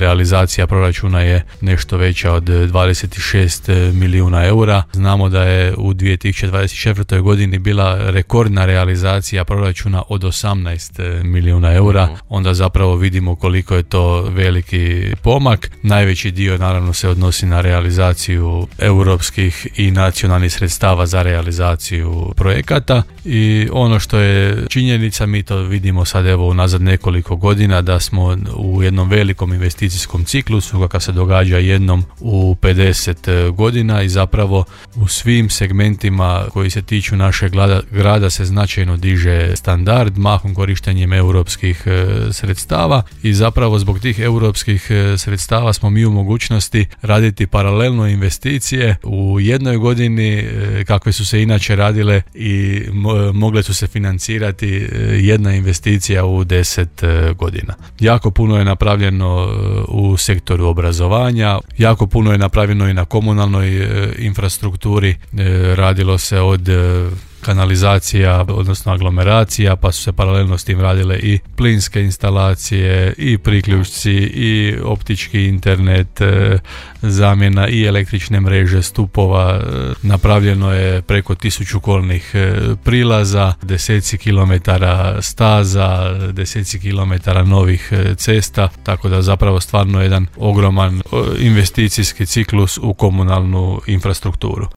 realizacija proračuna je nešto veća od 26 milijuna eura. Znamo da je u 2024. godini bila rekordna realizacija proračuna od 18 milijuna eura. Onda zapravo vidimo koliko je to veliki pomak. Najveći dio naravno se odnosi na realizaciju europskih i nacionalnih sredstava za realizaciju projekata i ono što je činjenica, mi to vidimo sad evo unazad nekoliko godina, da smo u jednom velikom investicijskom ciklusu kakav se događa jednom u 50 godina i zapravo u svim segmentima koji se tiču našeg grada se značajno diže standard, mahom korištenjem europskih sredstava i zapravo zbog tih europskih sredstava smo mi u mogućnosti raditi paralelno investicije u jednoj godini kakve su se inače radile i mogle su se financirati jedna investicija u 10 godina. Jako puno je napravljeno u sektoru obrazovanja, jako puno je napravljeno i na komunalnoj infrastrukturi, radilo se od kanalizacija, odnosno aglomeracija, pa su se paralelno s tim radile i plinske instalacije, i priključci, i optički internet, zamjena i električne mreže, stupova. Napravljeno je preko 1000 kolnih prilaza, deseci kilometara staza, deseci kilometara novih cesta, tako da zapravo stvarno jedan ogroman investicijski ciklus u komunalnu infrastrukturu.